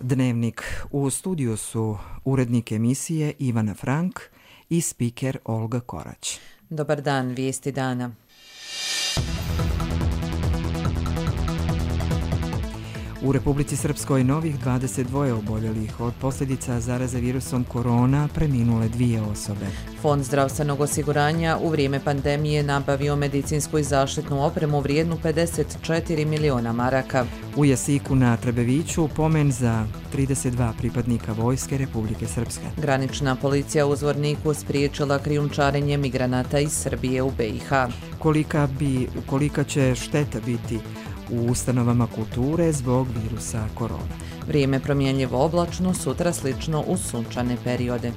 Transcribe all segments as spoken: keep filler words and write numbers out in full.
Dnevnik. U studiju su urednik emisije Ivana Frank i spiker Olga Korać. Dobar dan, vijesti dana. U Republici Srpskoj novih dvadeset dva oboljelih od posljedica zaraze virusom korona, preminule dvije osobe. Fond zdravstvenog osiguranja u vrijeme pandemije nabavio medicinsku i zaštitnu opremu vrijednu pedeset četiri miliona maraka. U Jasiku na Trebeviću pomen za trideset dva pripadnika Vojske Republike Srpske. Granična policija u Zvorniku spriječila krijumčarenje migranata iz Srbije u B i H. Kolika, bi, kolika će šteta biti u ustanovama kulture zbog virusa korona. Vrijeme promjenljivo oblačno, sutra slično u sunčane periode.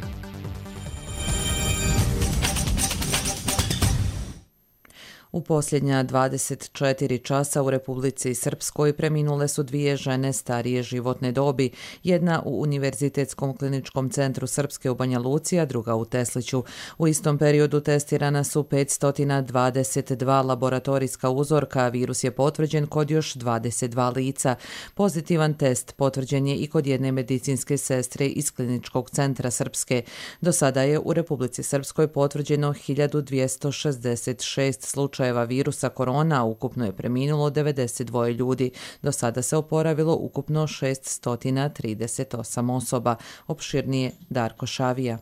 U posljednja dvadeset četiri časa u Republici Srpskoj preminule su dvije žene starije životne dobi, jedna u Univerzitetskom kliničkom centru Srpske u Banja Luci, a druga u Tesliću. U istom periodu testirana su petsto dvadeset dva laboratorijska uzorka, a virus je potvrđen kod još dvadeset dva lica. Pozitivan test potvrđen je i kod jedne medicinske sestre iz Kliničkog centra Srpske. Do sada je u Republici Srpskoj potvrđeno hiljadu dvjesto šezdeset šest slučajeva virusa korona, a ukupno je preminulo devedeset dva ljudi. Do sada se oporavilo ukupno šeststo trideset osam osoba. Opširnije Darko Šavija.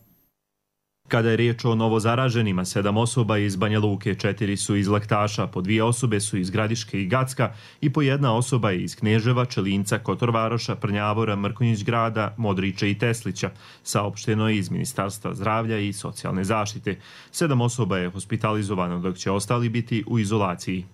Kada je riječ o novozaraženima, sedam osoba iz Banja Luke, četiri su iz Laktaša, po dvije osobe su iz Gradiške i Gacka i po jedna osoba je iz Kneževa, Čelinca, Kotorvaroša, Prnjavora, Mrkonjić grada, Modrića i Teslića, saopšteno je iz Ministarstva zdravlja i socijalne zaštite. Sedam osoba je hospitalizovano, dok će ostali biti u izolaciji.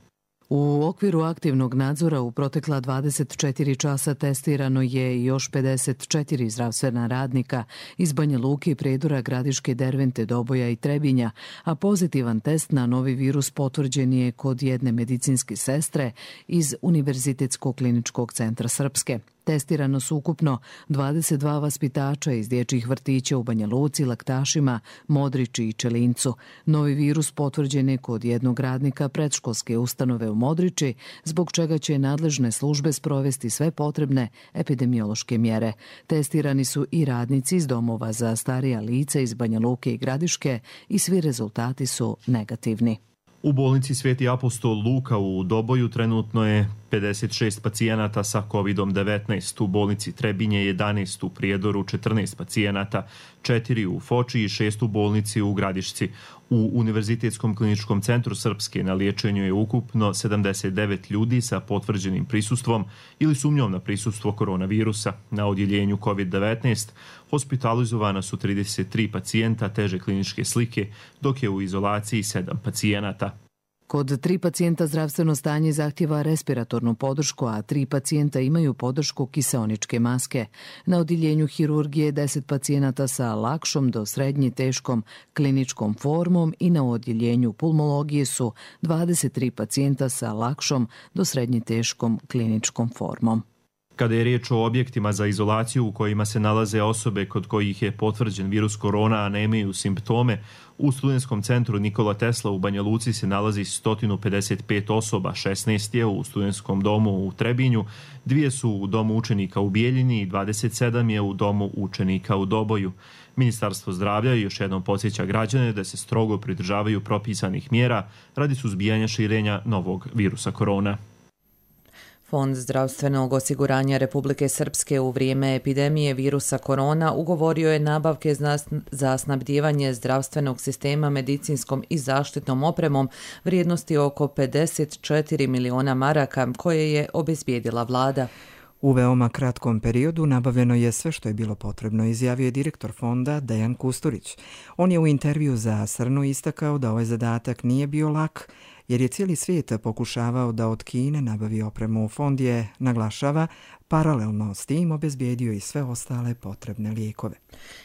U okviru aktivnog nadzora u protekla dvadeset četiri časa testirano je još pedeset četiri zdravstvena radnika iz Banja Luke, Predora, Gradiške, Dervente, Doboja i Trebinja, a pozitivan test na novi virus potvrđen je kod jedne medicinske sestre iz Univerzitetskog kliničkog centra Srpske. Testirano su ukupno dvadeset dva vaspitača iz dječjih vrtića u Banja Luci, Laktašima, Modrići i Čelincu. Novi virus potvrđen je kod jednog radnika predškolske ustanove u Modrići, zbog čega će nadležne službe sprovesti sve potrebne epidemiološke mjere. Testirani su i radnici iz domova za starija lica iz Banja Luke i Gradiške i svi rezultati su negativni. U bolnici Sveti apostol Luka u Doboju trenutno je pedeset šest pacijenata sa kovid devetnaest, u bolnici Trebinje jedanaest, u Prijedoru četrnaest pacijenata, četiri u Foči i šest u bolnici u Gradišci. U Univerzitetskom kliničkom centru Srpske na liječenju je ukupno sedamdeset devet ljudi sa potvrđenim prisustvom ili sumnjom na prisustvo koronavirusa. Na odjeljenju kovid devetnaest hospitalizovana su trideset tri pacijenta teže kliničke slike, dok je u izolaciji sedam pacijenata. Kod tri pacijenta zdravstveno stanje zahtjeva respiratornu podršku, a tri pacijenta imaju podršku kiseoničke maske. Na odjeljenju hirurgije deset pacijenata sa lakšom do srednje teškom kliničkom formom i na odjeljenju pulmologije su dvadeset tri pacijenta sa lakšom do srednje teškom kliničkom formom. Kada je riječ o objektima za izolaciju u kojima se nalaze osobe kod kojih je potvrđen virus korona, a nemaju simptome, u Studentskom centru Nikola Tesla u Banja Luci se nalazi sto pedeset pet osoba, šesnaest je u Studentskom domu u Trebinju, dvije su u domu učenika u Bijeljini i dvadeset sedam je u domu učenika u Doboju. Ministarstvo zdravlja još jednom podsjeća građane da se strogo pridržavaju propisanih mjera radi suzbijanja širenja novog virusa korona. Fond zdravstvenog osiguranja Republike Srpske u vrijeme epidemije virusa korona ugovorio je nabavke za snabdijevanje zdravstvenog sistema medicinskom i zaštitnom opremom vrijednosti oko pedeset četiri miliona maraka koje je obezbijedila vlada. U veoma kratkom periodu nabavljeno je sve što je bilo potrebno, izjavio je direktor fonda Dejan Kusturić. On je u intervju za Srnu istakao da ovaj zadatak nije bio lak, jer je cijeli svijet pokušavao da od Kine nabavi opremu. Fond je, naglašava, paralelno s tim obezbijedio i sve ostale potrebne lijekove.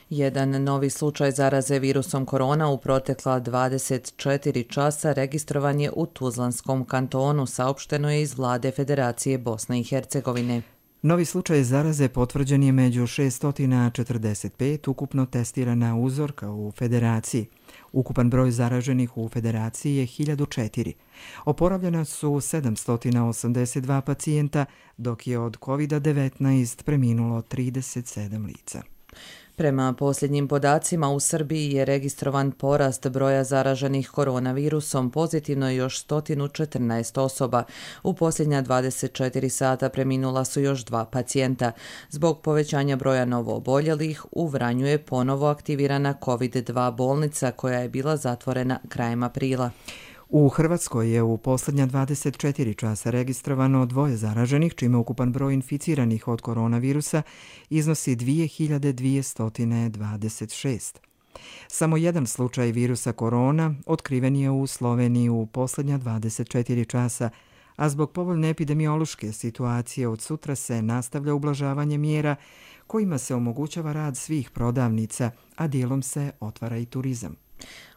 Jedan novi slučaj zaraze virusom korona u protekla dvadeset četiri časa registrovan je u Tuzlanskom kantonu, saopšteno je iz vlade Federacije Bosne i Hercegovine. Novi slučaj zaraze potvrđen je među šeststo četrdeset pet ukupno testirana uzorka u Federaciji. Ukupan broj zaraženih u federaciji je hiljadu četiri. Oporavljena su sedamsto osamdeset dva pacijenta, dok je od kovid devetnaest preminulo trideset sedam lica. Prema posljednjim podacima u Srbiji je registrovan porast broja zaraženih koronavirusom, pozitivno je još sto četrnaest osoba. U posljednja dvadeset četiri sata preminula su još dva pacijenta. Zbog povećanja broja novooboljelih u Vranju je ponovo aktivirana kovid dva bolnica koja je bila zatvorena krajem aprila. U Hrvatskoj je u posljednja dvadeset četiri časa registrovano dvoje zaraženih, čime ukupan broj inficiranih od koronavirusa iznosi dvije hiljade dvjesto dvadeset šest. Samo jedan slučaj virusa korona otkriven je u Sloveniji u posljednja dvadeset četiri časa, a zbog povoljne epidemiološke situacije od sutra se nastavlja ublažavanje mjera kojima se omogućava rad svih prodavnica, a dijelom se otvara i turizam.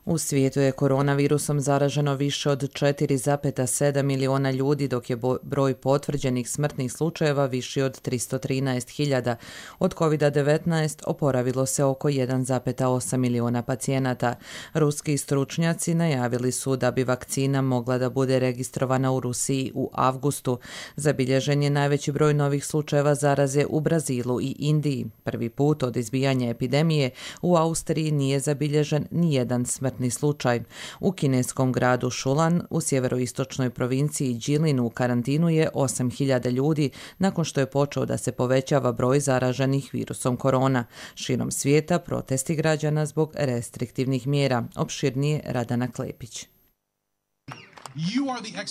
U svijetu je koronavirusom zaraženo više od četiri zarez sedam miliona ljudi, dok je broj potvrđenih smrtnih slučajeva viši od tristo trinaest hiljada. Od kovid devetnaest oporavilo se oko jedan zarez osam miliona pacijenata. Ruski stručnjaci najavili su da bi vakcina mogla da bude registrovana u Rusiji u avgustu. Zabilježen je najveći broj novih slučajeva zaraze u Brazilu i Indiji. Prvi put od izbijanja epidemije u Austriji nije zabilježen nijedan smrtni slučaj. U kineskom gradu Šulan u sjeveroistočnoj provinciji Jilin u karantinu je osam hiljada ljudi nakon što je počeo da se povećava broj zaraženih virusom korona. Širom svijeta protesti građana zbog restriktivnih mjera. Opširnije Radana Klepić.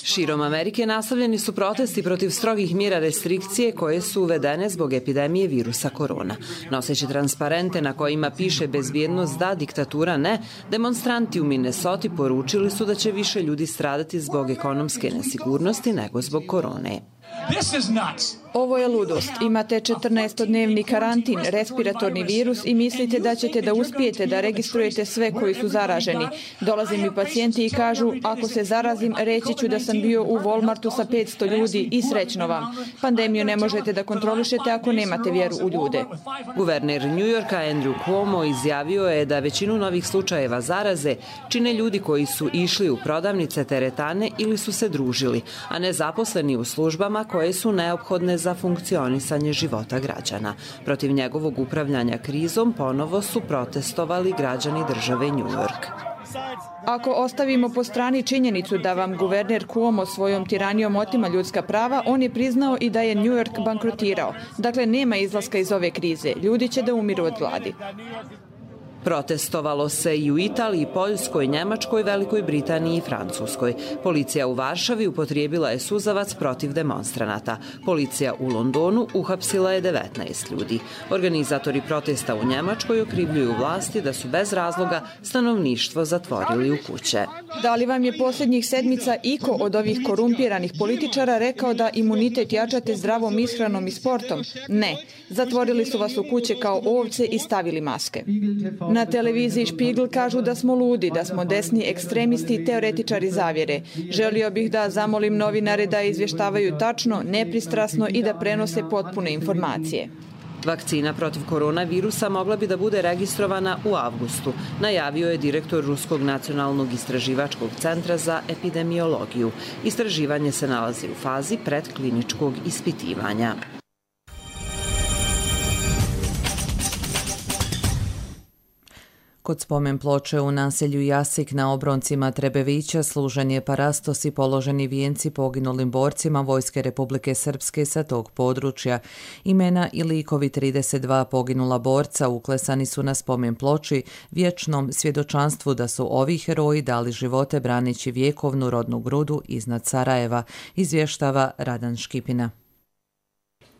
Širom Amerike nastavljeni su protesti protiv strogih mjera restrikcije koje su uvedene zbog epidemije virusa korona. Noseći transparente na kojima piše bezbjednost da, diktatura ne, demonstranti u Minnesoti poručili su da će više ljudi stradati zbog ekonomske nesigurnosti nego zbog korone. Ovo je ludost. Imate četrnaestodnevni karantin, respiratorni virus i mislite da ćete da uspijete da registrujete sve koji su zaraženi. Dolaze mi pacijenti i kažu, ako se zarazim, reći ću da sam bio u Walmartu sa petsto ljudi i srećno vam. Pandemiju ne možete da kontrolišete ako nemate vjeru u ljude. Guverner New Yorka Andrew Cuomo izjavio je da većinu novih slučajeva zaraze čine ljudi koji su išli u prodavnice, teretane ili su se družili, a ne zaposleni u službama koje su neophodne za funkcionisanje života građana. Protiv njegovog upravljanja krizom ponovo su protestovali građani države New York. Ako ostavimo po strani činjenicu da vam guverner Cuomo svojom tiranijom otima ljudska prava, on je priznao i da je New York bankrotirao. Dakle, nema izlaska iz ove krize. Ljudi će da umiru od gladi. Protestovalo se i u Italiji, Poljskoj, Njemačkoj, Velikoj Britaniji i Francuskoj. Policija u Varšavi upotrijebila je suzavac protiv demonstranata. Policija u Londonu uhapsila je devetnaest ljudi. Organizatori protesta u Njemačkoj okrivljuju vlasti da su bez razloga stanovništvo zatvorili u kuće. Da li vam je posljednjih sedmica iko od ovih korumpiranih političara rekao da imunitet jačate zdravom ishranom i sportom? Ne. Zatvorili su vas u kuće kao ovce i stavili maske. Na televiziji Spiegel kažu da smo ludi, da smo desni ekstremisti i teoretičari zavjere. Želio bih da zamolim novinare da izvještavaju tačno, nepristrasno i da prenose potpune informacije. Vakcina protiv koronavirusa mogla bi da bude registrovana u avgustu, najavio je direktor Ruskog nacionalnog istraživačkog centra za epidemiologiju. Istraživanje se nalazi u fazi predkliničkog ispitivanja. Kod spomen ploče u naselju Jasik na obroncima Trebevića služen je parastos i položeni vijenci poginulim borcima Vojske Republike Srpske sa tog područja. Imena i likovi trideset dva poginula borca uklesani su na spomen ploči vječnom svjedočanstvu da su ovi heroji dali živote braneći vjekovnu rodnu grudu iznad Sarajeva, izvještava Radan Škipina.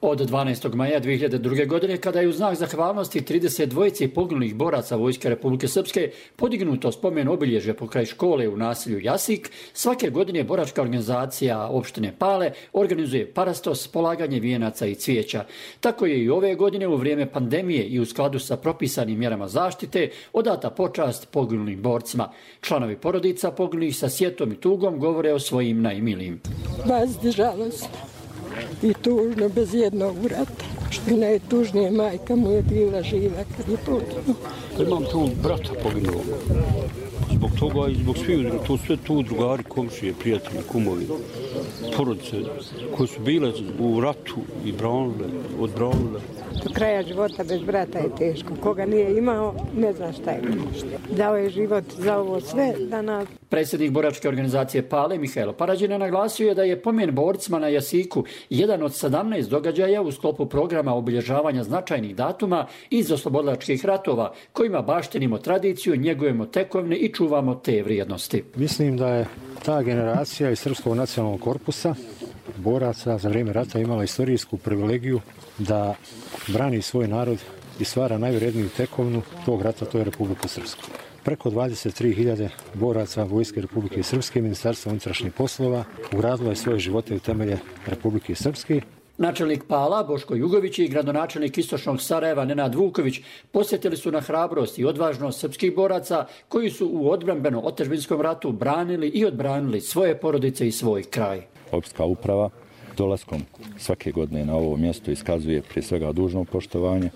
Od dvanaestog maja dvije hiljade druge. godine, kada je u znak zahvalnosti trideset dvojici poginulih boraca Vojske Republike Srpske podignuto spomen obilježje pokraj škole u naselju Jasik, svake godine boračka organizacija opštine Pale organizuje parastos, polaganje vijenaca i cvijeća. Tako je i ove godine u vrijeme pandemije i u skladu sa propisanim mjerama zaštite odata počast poginulim borcima. Članovi porodica poginulih sa sjetom i tugom govore o svojim najmilijim. Bazdržalo se. I tužno, bez jednog vrata. Što je najtužnije, majka mu je bila živa kad je poginuo. Imam tu brata poginuo. Zbog toga i zbog svih, to sve tu drugari, komšije, prijatelji, kumovi, porodice koji su bile u ratu i branile, odbranile. Do kraja života bez brata je teško. Koga nije imao, ne zna šta je. Dao je život za ovo sve da nas... Predsjednik boračke organizacije Pale, Mihajlo Parađina, naglasio je da je pomen borcima na Jasiku jedan od sedamnaest događaja u sklopu programa obilježavanja značajnih datuma iz oslobodilačkih ratova, kojima baštinimo tradiciju, njegujemo tekovine i čuvamo te vrijednosti. Mislim da je ta generacija iz Srpskog nacionalnog korpusa boraca za vrijeme rata imala istorijsku privilegiju da brani svoj narod i stvara najvredniju tekovinu tog rata, to je Republiku Srpsku. Preko dvadeset tri hiljade boraca Vojske Republike Srpske, Ministarstva unutrašnjih poslova, ugradilo je svoje živote u temelje Republike Srpske. Načelnik Pala, Boško Jugović i gradonačelnik Istočnog Sarajeva, Nenad Vuković, posjetili su na hrabrost i odvažnost srpskih boraca koji su u odbrambeno-otadžbinskom ratu branili i odbranili svoje porodice i svoj kraj. Opštinska uprava dolaskom svake godine na ovo mjesto iskazuje prije svega dužno poštovanje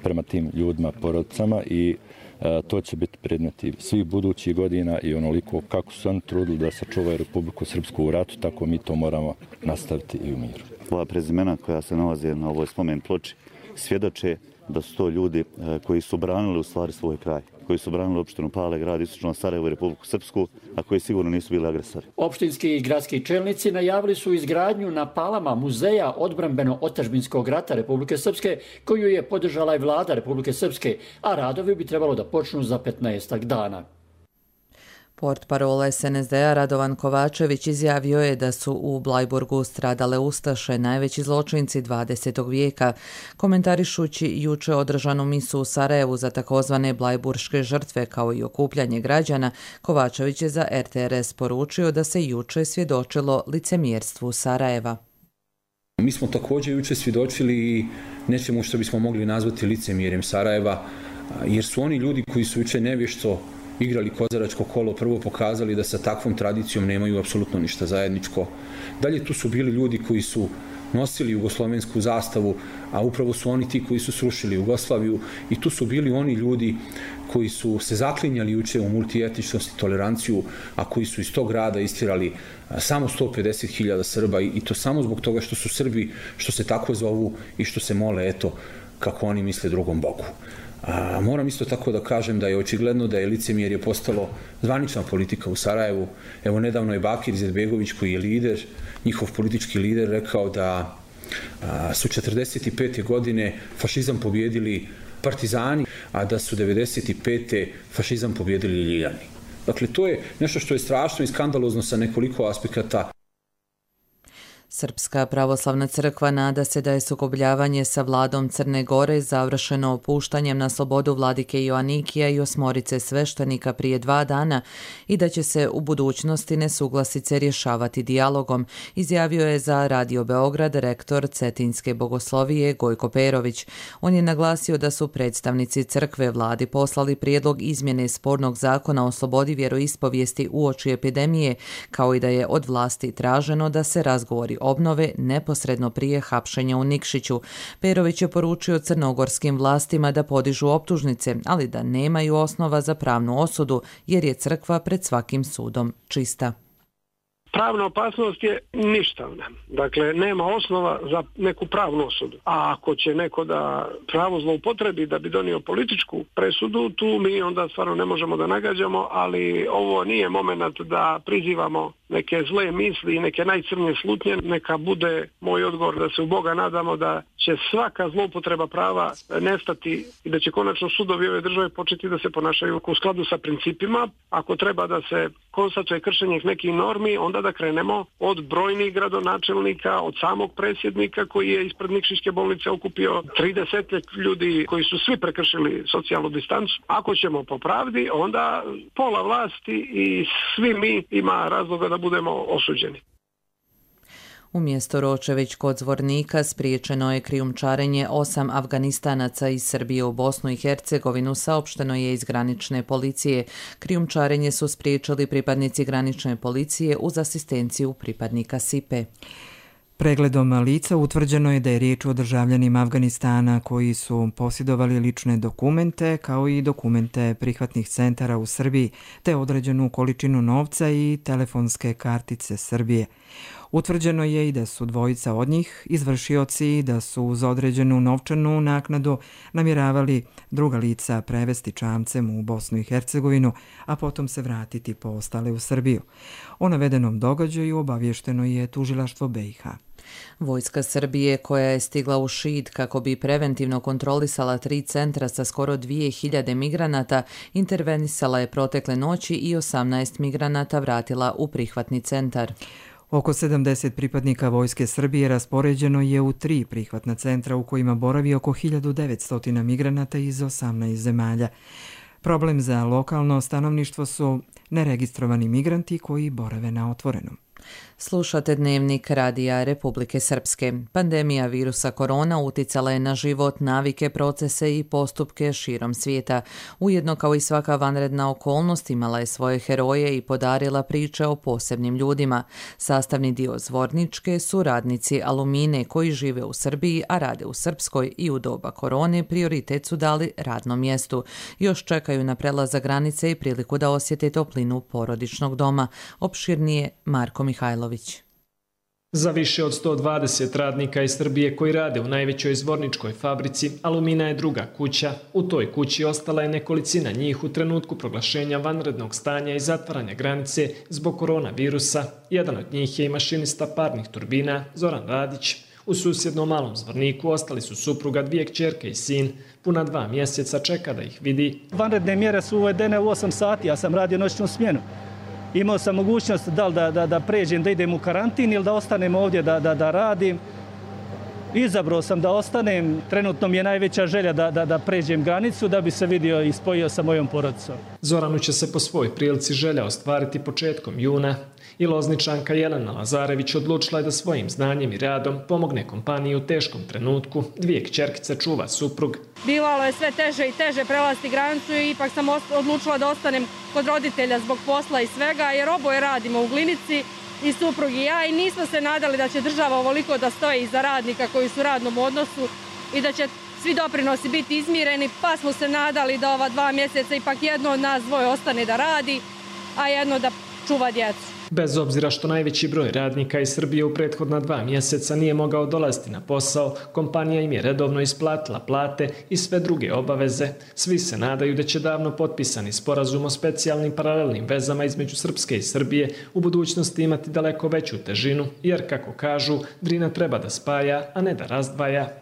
prema tim ljudima, porodicama i e, to će biti predmeti svih budućih godina i onoliko kako su oni trudili da sačuvaju Republiku Srpsku u ratu, tako mi to moramo nastaviti i u miru. Ova prezimena koja se nalaze na ovoj spomen ploči svjedoče da su to ljudi e, koji su branili u stvari svoj kraj, koji su branili opštinu Pale, grad Istočno Sarajevo i Republiku Srpsku, a koji sigurno nisu bili agresori. Opštinski i gradski čelnici najavili su izgradnju na Palama muzeja odbrambeno-otadžbinskog rata Republike Srpske, koju je podržala i vlada Republike Srpske, a radovi bi trebalo da počnu za petnaestak dana. Portparol S N S D-a Radovan Kovačević izjavio je da su u Blajburgu stradale ustaše, najveći zločinci dvadesetog vijeka. Komentarišući juče održanu misu u Sarajevu za takozvane blajburške žrtve kao i okupljanje građana, Kovačević je za R T R S poručio da se juče svjedočilo licemjerstvu Sarajeva. Mi smo također juče svjedočili nečemu što bismo mogli nazvati licemjerjem Sarajeva, jer su oni ljudi koji su juče nevješto igrali kozaračko kolo, prvo pokazali da sa takvom tradicijom nemaju apsolutno ništa zajedničko. Dalje tu su bili ljudi koji su nosili jugoslovensku zastavu, a upravo su oni ti koji su srušili Jugoslaviju, i tu su bili oni ljudi koji su se zaklinjali juče u multietničnost i toleranciju, a koji su iz tog grada istjerali samo sto pedeset hiljada Srba, i to samo zbog toga što su Srbi, što se tako zovu i što se mole, eto, kako oni misle drugom Bogu. A, moram isto tako da kažem da je očigledno da je licemjerje postalo zvanična politika u Sarajevu. Evo, nedavno je Bakir Izetbegović, koji je lider, njihov politički lider, rekao da a, su četrdeset pete godine fašizam pobjedili partizani, a da su devedeset pete fašizam pobjedili Ljiljani. Dakle, to je nešto što je strašno i skandalozno sa nekoliko aspekata. Srpska pravoslavna crkva nada se da je sukobljavanje sa vladom Crne Gore završeno opuštanjem na slobodu vladike Joanikija i osmorice sveštenika prije dva dana i da će se u budućnosti nesuglasice rješavati dijalogom, izjavio je za Radio Beograd rektor Cetinske bogoslovije Gojko Perović. On je naglasio da su predstavnici crkve vladi poslali prijedlog izmjene spornog zakona o slobodi vjeroispovijesti uoči epidemije, kao i da je od vlasti traženo da se razgovori obnove neposredno prije hapšenja u Nikšiću. Perović je poručio crnogorskim vlastima da podižu optužnice, ali da nemaju osnova za pravnu osudu, jer je crkva pred svakim sudom čista. Pravna opasnost je ništavna. Dakle, nema osnova za neku pravnu osudu. A ako će neko da pravo zloupotrebi da bi donio političku presudu, tu mi onda stvarno ne možemo da nagađamo, ali ovo nije moment da prizivamo neke zle misli i neke najcrnije slutnje. Neka bude moj odgovor da se u Boga nadamo da će svaka zloupotreba prava nestati i da će konačno sudovi ove države početi da se ponašaju u skladu sa principima. Ako treba da se konstatuje kršenje nekih normi, onda da krenemo od brojnih gradonačelnika, od samog predsjednika koji je ispred Nikšićke bolnice okupio trideset ljudi koji su svi prekršili socijalnu distancu. Ako ćemo po pravdi, onda pola vlasti i svi mi ima razloga da budemo osuđeni. Umjesto Ročević kod Zvornika spriječeno je krijumčarenje osam Afganistanaca iz Srbije u Bosnu i Hercegovinu, saopšteno je iz granične policije. Krijumčarenje su spriječili pripadnici granične policije uz asistenciju pripadnika S I P E. Pregledom lica utvrđeno je da je riječ o državljanima Afganistana koji su posjedovali lične dokumente kao i dokumente prihvatnih centara u Srbiji te određenu količinu novca i telefonske kartice Srbije. Utvrđeno je i da su dvojica od njih izvršioci i da su uz određenu novčanu naknadu namjeravali druga lica prevesti čamcem u Bosnu i Hercegovinu, a potom se vratiti po ostale u Srbiju. O navedenom događaju obavješteno je tužilaštvo B i H. Vojska Srbije, koja je stigla u Šid kako bi preventivno kontrolisala tri centra sa skoro dvije hiljade migranata, intervenisala je protekle noći i osamnaest migranata vratila u prihvatni centar. Oko sedamdeset pripadnika Vojske Srbije raspoređeno je u tri prihvatna centra u kojima boravi oko hiljadu devetsto migranata iz osamnaest zemalja. Problem za lokalno stanovništvo su neregistrovani migranti koji borave na otvorenom. Slušate Dnevnik Radija Republike Srpske. Pandemija virusa korona uticala je na život, navike, procese i postupke širom svijeta. Ujedno, kao i svaka vanredna okolnost, imala je svoje heroje i podarila priče o posebnim ljudima. Sastavni dio Zvorničke su radnici Alumine koji žive u Srbiji, a rade u Srpskoj i u doba korone prioritet su dali radnom mjestu. Još čekaju na prelazak granice i priliku da osjete toplinu porodičnog doma. Opširnije Marko Mihajlović. Za više od sto dvadeset radnika iz Srbije koji rade u najvećoj Zvorničkoj fabrici, Alumina je druga kuća. U toj kući ostala je nekolicina njih u trenutku proglašenja vanrednog stanja i zatvaranja granice zbog koronavirusa. Jedan od njih je i mašinista parnih turbina Zoran Radić. U susjednom Malom Zvorniku ostali su supruga, dvije kćerke i sin. Puna dva mjeseca čeka da ih vidi. Vanredne mjere su uvedene u osam sati, ja sam radio noćnu smjenu. Imao sam mogućnost da li da, da, da pređem, da idem u karantin ili da ostanem ovdje da, da, da radim. Izabrao sam da ostanem, trenutno mi je najveća želja da, da, da pređem granicu da bi se vidio i spojio sa mojom porodicom. Zoranu će se po svoj prilici želja ostvariti početkom juna. I Lozničanka Jelena Lazarević odlučila je da svojim znanjem i radom pomogne kompaniji u teškom trenutku. Dvije kćerkice čuva suprug. Bivalo je sve teže i teže prelaziti granicu i ipak sam odlučila da ostanem kod roditelja zbog posla i svega, jer oboje radimo u Glinici i suprug i ja i nismo se nadali da će država ovoliko da stoji iza radnika koji su u radnom odnosu i da će svi doprinosi biti izmireni, pa smo se nadali da ova dva mjeseca ipak jedno od nas dvoje ostane da radi, a jedno da čuva djecu. Bez obzira što najveći broj radnika iz Srbije u prethodna dva mjeseca nije mogao dolaziti na posao, kompanija im je redovno isplatila plate i sve druge obaveze. Svi se nadaju da će davno potpisani sporazum o specijalnim paralelnim vezama između Srpske i Srbije u budućnosti imati daleko veću težinu, jer, kako kažu, Drina treba da spaja, a ne da razdvaja.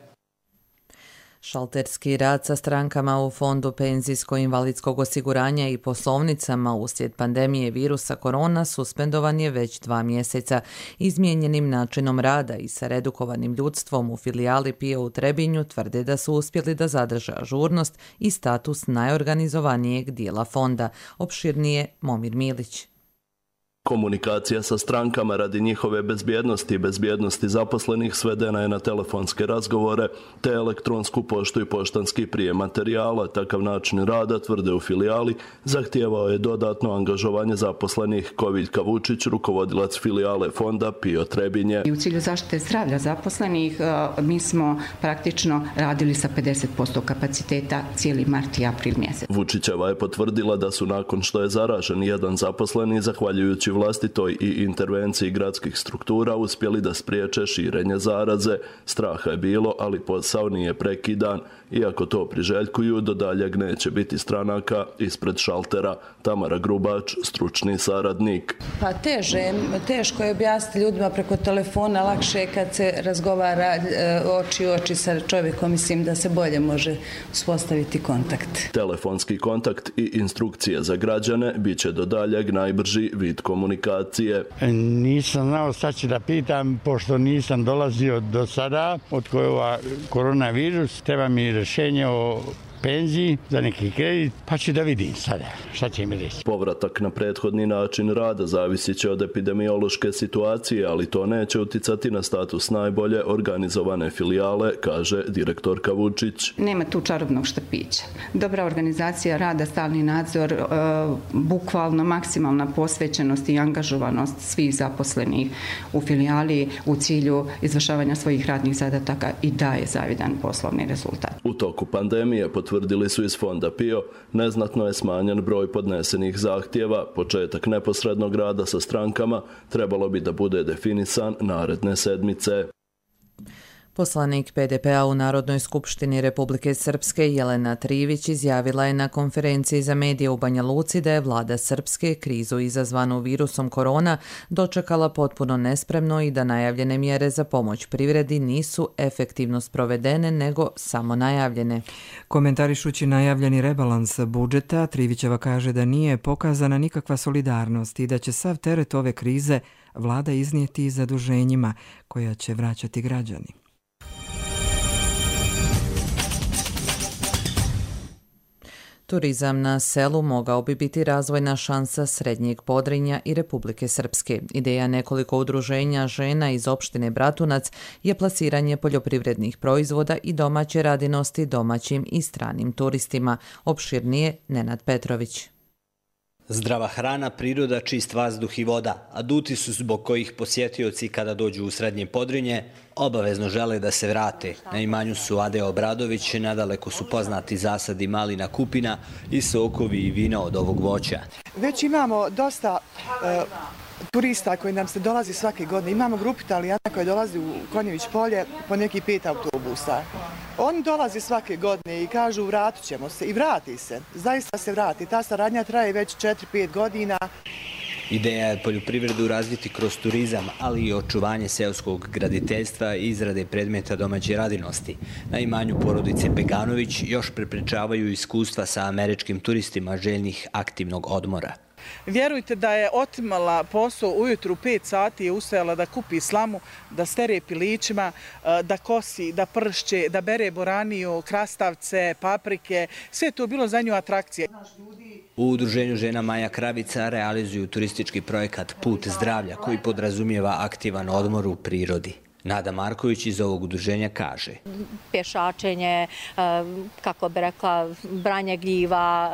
Šalterski rad sa strankama u Fondu penzijsko-invalidskog osiguranja i poslovnicama uslijed pandemije virusa korona suspendovan je već dva mjeseca. Izmijenjenim načinom rada i sa redukovanim ljudstvom u filijali P I O u Trebinju tvrde da su uspjeli da zadrže ažurnost i status najorganizovanijeg dijela fonda. Opširnije Momir Milić. Komunikacija sa strankama radi njihove bezbjednosti i bezbjednosti zaposlenih svedena je na telefonske razgovore te elektronsku poštu i poštanski prijem materijala. Takav način rada, tvrde u filijali, zahtijevao je dodatno angažovanje zaposlenih. Koviljka Vučić, rukovodilac filijale fonda P I O Trebinje. I u cilju zaštite zdravlja zaposlenih mi smo praktično radili sa pedeset posto kapaciteta cijeli mart i april mjesec. Vučićeva je potvrdila da su nakon što je zaražen jedan zaposleni, zahvaljujući vlastitoj i intervenciji gradskih struktura, uspjeli da spriječe širenje zaraze. Straha je bilo, ali posao nije prekidan. Iako to priželjkuju, do daljeg neće biti stranaka ispred šaltera. Tamara Grubač, stručni saradnik. Pa teže, teško je objasniti ljudima preko telefona, lakše je kad se razgovara oči u oči sa čovjekom, mislim da se bolje može uspostaviti kontakt. Telefonski kontakt i instrukcije za građane bit će do daljeg najbrži vid komunikacije. Nisam znao šta ću da pitam, pošto nisam dolazio do sada od kojega koronavirus, treba mi rješenje o penziji, za neki kredit, pa ću da vidim sada šta će mi reći. Povratak na prethodni način rada zavisit će od epidemiološke situacije, ali to neće uticati na status najbolje organizovane filijale, kaže direktorka Vučić. Nema tu čarobnog štapića. Dobra organizacija rada, stalni nadzor, e, bukvalno maksimalna posvećenost i angažovanost svih zaposlenih u filijali u cilju izvršavanja svojih radnih zadataka i daje zavidan poslovni rezultat. U toku pandemije, potvrdili su iz fonda P I O, neznatno je smanjen broj podnesenih zahtjeva. Početak neposrednog rada sa strankama trebalo bi da bude definisan naredne sedmice. Poslanik P D P-a u Narodnoj skupštini Republike Srpske Jelena Trivić izjavila je na konferenciji za medije u Banja Luci da je vlada Srpske krizu izazvanu virusom korona dočekala potpuno nespremno i da najavljene mjere za pomoć privredi nisu efektivno sprovedene nego samo najavljene. Komentarišući najavljeni rebalans budžeta, Trivićeva kaže da nije pokazana nikakva solidarnost i da će sav teret ove krize vlada iznijeti zaduženjima koja će vraćati građani. Turizam na selu mogao bi biti razvojna šansa Srednjeg Podrinja i Republike Srpske. Ideja nekoliko udruženja žena iz opštine Bratunac je plasiranje poljoprivrednih proizvoda i domaće radinosti domaćim i stranim turistima. Opširnije Nenad Petrović. Zdrava hrana, priroda, čist vazduh i voda, aduti su zbog kojih posjetioci kada dođu u Srednje Podrinje obavezno žele da se vrate. Na imanju su Ade Obradović, nadaleko su poznati zasadi malina kupina i sokovi i vina od ovog voća. Već imamo dosta uh, turista koji nam se dolazi svake godine. Imamo grupu Italijana koji dolazi u Konjević polje po neki pet autobusa. Oni dolaze svake godine i kažu vratit ćemo se i vrati se. Zaista se vrati. Ta saradnja traje već četiri pet godina. Ideja je poljoprivredu razviti kroz turizam, ali i očuvanje seoskog graditeljstva i izrade predmeta domaće radinosti. Na imanju porodice Beganović još prepričavaju iskustva sa američkim turistima željnih aktivnog odmora. Vjerujte da je otimala posao ujutru pet sati, je ustajala da kupi slamu, da stere pilićima, da kosi, da pršće, da bere boraniju, krastavce, paprike. Sve je to bilo za nju atrakcije. U udruženju žena Maja Kravica realizuju turistički projekat Put zdravlja koji podrazumijeva aktivan odmor u prirodi. Nada Marković iz ovog udruženja kaže: pješačenje, kako bi rekla, branje gljiva,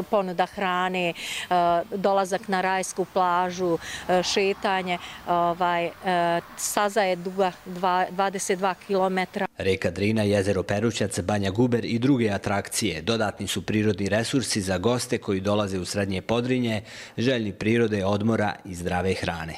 ponuda hrane, dolazak na rajsku plažu, šetanje. Staza je duga dvadeset dva kilometra. Reka Drina, jezero Perućac, Banja Guber i druge atrakcije dodatni su prirodni resursi za goste koji dolaze u Srednje Podrinje, željni prirode, odmora i zdrave hrane.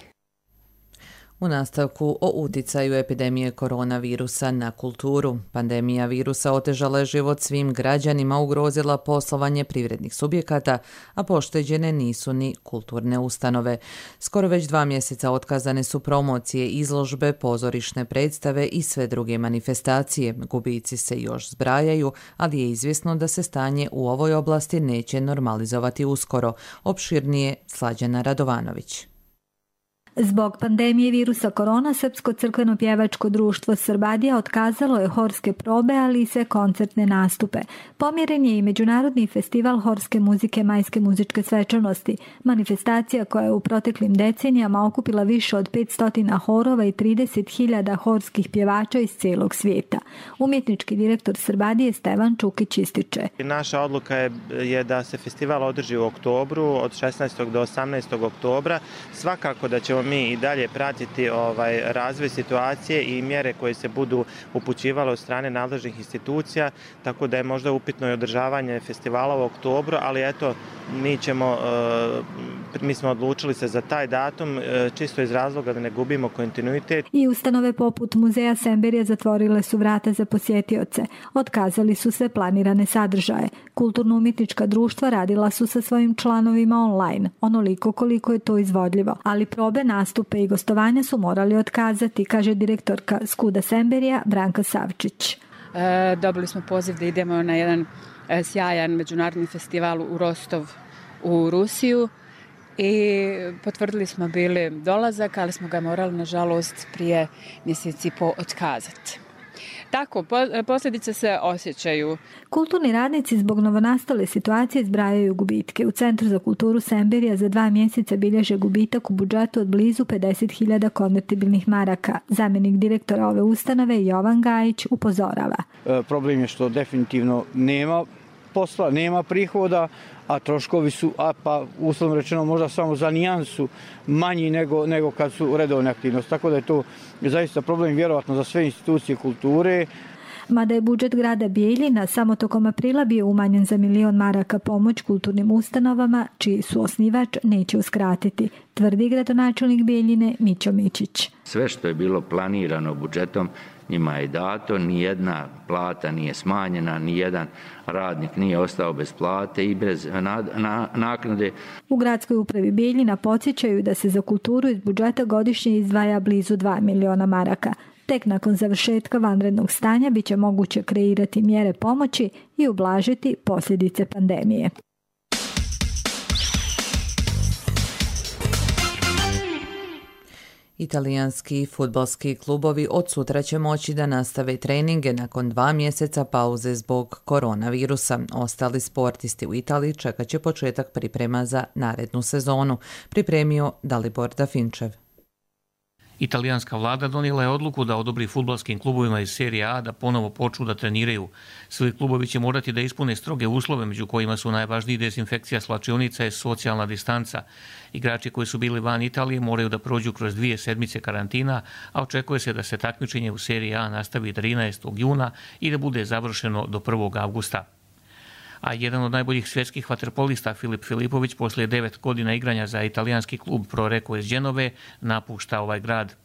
U nastavku o uticaju epidemije koronavirusa na kulturu. Pandemija virusa otežala je život svim građanima, ugrozila poslovanje privrednih subjekata, a pošteđene nisu ni kulturne ustanove. Skoro već dva mjeseca otkazane su promocije, izložbe, pozorišne predstave i sve druge manifestacije. Gubici se još zbrajaju, ali je izvjesno da se stanje u ovoj oblasti neće normalizovati uskoro. Opširnije Slađana Radovanović. Zbog pandemije virusa korona, Srpsko crkveno pjevačko društvo Srbadija otkazalo je horske probe, ali i sve koncertne nastupe. Pomjeren je i Međunarodni festival horske muzike Majske muzičke svečanosti, manifestacija koja je u proteklim decenijama okupila više od petsto horova i trideset hiljada horskih pjevača iz cijelog svijeta. Umjetnički direktor Srbadije Stevan Čukić ističe: naša odluka je, je da se festival održi u oktobru, od šesnaestog do osamnaestog oktobra. Svakako da ćemo mi i dalje pratiti ovaj razvoj situacije i mjere koje se budu upućivale od strane nadležnih institucija, tako da je možda upitno i održavanje festivala u oktobru, ali eto, mi ćemo, mi smo odlučili se za taj datum čisto iz razloga da ne gubimo kontinuitet. I ustanove poput Muzeja Semberija zatvorile su vrata za posjetioce. Otkazali su sve planirane sadržaje. Kulturno-umjetnička društva radila su sa svojim članovima online, onoliko koliko je to izvodljivo, ali probe, nastupe i gostovanja su morali otkazati, kaže direktorka Skuda Semberija Branka Savčić. E, dobili smo poziv da idemo na jedan e, sjajan međunarodni festival u Rostov u Rusiju i potvrdili smo bili dolazak, ali smo ga morali nažalost prije mjeseci po otkazati. Tako, posljedice se osjećaju. Kulturni radnici zbog novonastale situacije zbrajaju gubitke. U Centru za kulturu Semberija za dva mjeseca bilježe gubitak u budžetu od blizu pedeset hiljada konvertibilnih maraka. Zamjenik direktora ove ustanove Jovan Gajić upozorava. E, problem je što definitivno nema posla, nema prihoda, a troškovi su, a pa uslovno rečeno možda samo za nijansu manji nego, nego kad su redovne aktivnosti. Tako da je to zaista problem vjerovatno za sve institucije kulture. Mada je budžet grada Bijeljina samo tokom aprila bio umanjen za milion maraka pomoć kulturnim ustanovama, čiji su osnivač neće uskratiti, tvrdi gradonačelnik Bijeljine Mićo Mičić. Sve što je bilo planirano budžetom njima je dato, nijedna plata nije smanjena, nijedan radnik nije ostao bez plate i bez na, na, naknade. U gradskoj upravi Bijeljina podsjećaju da se za kulturu iz budžeta godišnje izdvaja blizu dva miliona maraka. Tek nakon završetka vanrednog stanja biće moguće kreirati mjere pomoći i ublažiti posljedice pandemije. Italijanski fudbalski klubovi od sutra će moći da nastave treninge nakon dva mjeseca pauze zbog koronavirusa. Ostali sportisti u Italiji čekat će početak priprema za narednu sezonu, pripremio Dalibor Dafinčev. Italijanska vlada donijela je odluku da odobri fudbalskim klubovima iz Serije A da ponovo počnu da treniraju. Svi klubovi će morati da ispune stroge uslove, među kojima su najvažniji dezinfekcija slačionica i socijalna distanca. Igrači koji su bili van Italije moraju da prođu kroz dvije sedmice karantina, a očekuje se da se takmičenje u Seriji A nastavi trinaestog juna i da bude završeno do prvog avgusta. A jedan od najboljih svjetskih vaterpolista Filip Filipović poslije devet godina igranja za italijanski klub Pro Recco iz Dženove napušta ovaj grad.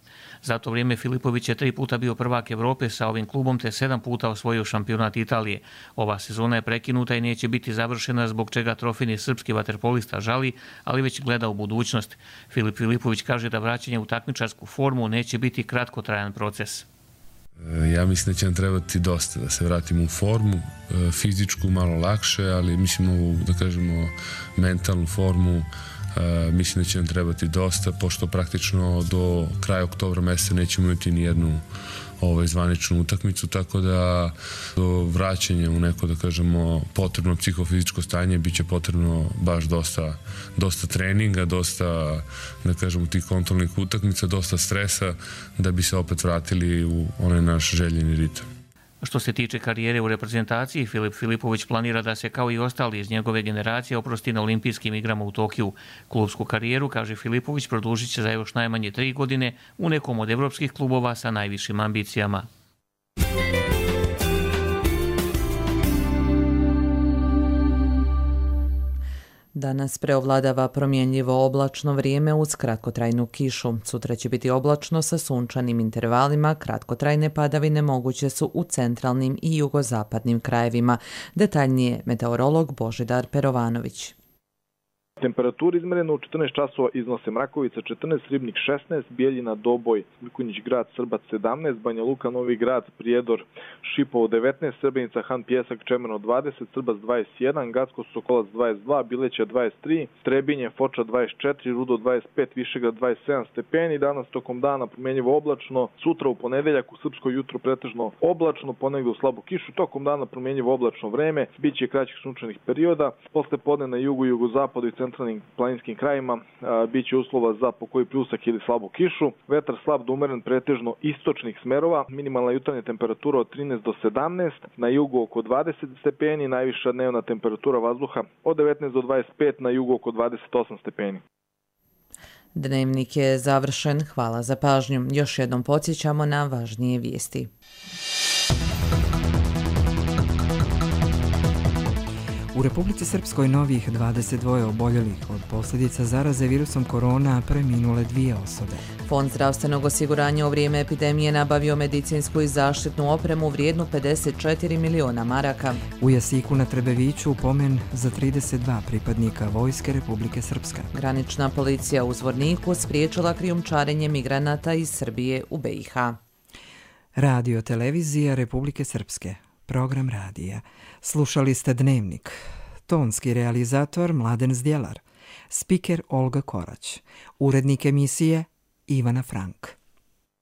Za to vrijeme Filipović je tri puta bio prvak Evrope sa ovim klubom te sedam puta osvojio šampionat Italije. Ova sezona je prekinuta i neće biti završena, zbog čega trofejni srpski vaterpolista žali, ali već gleda u budućnost. Filip Filipović kaže da vraćanje u takmičarsku formu neće biti kratkotrajan proces. Ja mislim da će nam trebati dosta da se vratimo u formu, fizičku malo lakše, ali mislim ovu, da kažemo, mentalnu formu, mislim da će nam trebati dosta, pošto praktično do kraja oktobra mjeseca nećemo imati ni jednu ovaj, zvaničnu utakmicu, tako da do vraćanja u neko, da kažemo, potrebno psihofizičko stanje bit će potrebno baš dosta, dosta treninga, dosta, da kažemo, tih kontrolnih utakmica, dosta stresa da bi se opet vratili u onaj naš željeni ritam. Što se tiče karijere u reprezentaciji, Filip Filipović planira da se kao i ostali iz njegove generacije oprosti na olimpijskim igrama u Tokiju. Klubsku karijeru, kaže Filipović, produžit će za još najmanje tri godine u nekom od evropskih klubova sa najvišim ambicijama. Danas preovladava promjenjivo oblačno vrijeme uz kratkotrajnu kišu. Sutra će biti oblačno sa sunčanim intervalima, kratkotrajne padavine moguće su u centralnim i jugozapadnim krajevima. Detaljnije meteorolog Božidar Perovanović. Temperature izmerene u četrnaest časova iznose Mrakovica četrnaest, Ribnik šesnaest, Bijeljina, Doboj, Mikunjić grad, Srbac sedamnaest, Banja Luka, Novi grad, Prijedor, Šipovo devetnaest, Srebrnica, Han Pjesak, Čemerno dvadeset, Srbac dvadeset jedan, Gacko, Sokolac dvadeset dva, Bileća dvadeset tri, Trebinje, Foča dvadeset četiri, Rudo dvadeset pet, Višegrad dvadeset sedam stepeni. Danas tokom dana promjenjivo oblačno, sutra u ponedeljak u srpsko jutro pretežno oblačno, ponegdje u slabu kišu, tokom dana promjenjivo oblačno vreme, biće kraćih sunčanih perioda, posle podne na jugu i jugozapadu i centralnim planinskim krajima biće uslova za pokoji pljusak ili slabu kišu. Vetar slab do umeren pretežno istočnih smerova, minimalna jutarnja temperatura od trinaest do sedamnaest, na jugu oko dvadeset stepeni, najviša dnevna temperatura vazduha od devetnaest do dvadeset pet, na jugu oko dvadeset osam stepeni. Dnevnik je završen, hvala za pažnju. Još jednom podsjećamo na važnije vijesti. U Republici Srpskoj novih dvadeset dva oboljelih od posljedica zaraze virusom korona, preminule dvije osobe. Fond zdravstvenog osiguranja u vrijeme epidemije nabavio medicinsku i zaštitnu opremu vrijednu pedeset četiri miliona maraka. U Jasiku na Trebeviću pomen za trideset dva pripadnika Vojske Republike Srpske. Granična policija u Zvorniku spriječila krijumčarenje migranata iz Srbije u B i H. Radio televizija Republike Srpske. Program radija. Slušali ste Dnevnik. Tonski realizator Mladen Zdjelar. Spiker Olga Korać. Urednik emisije Ivana Frank.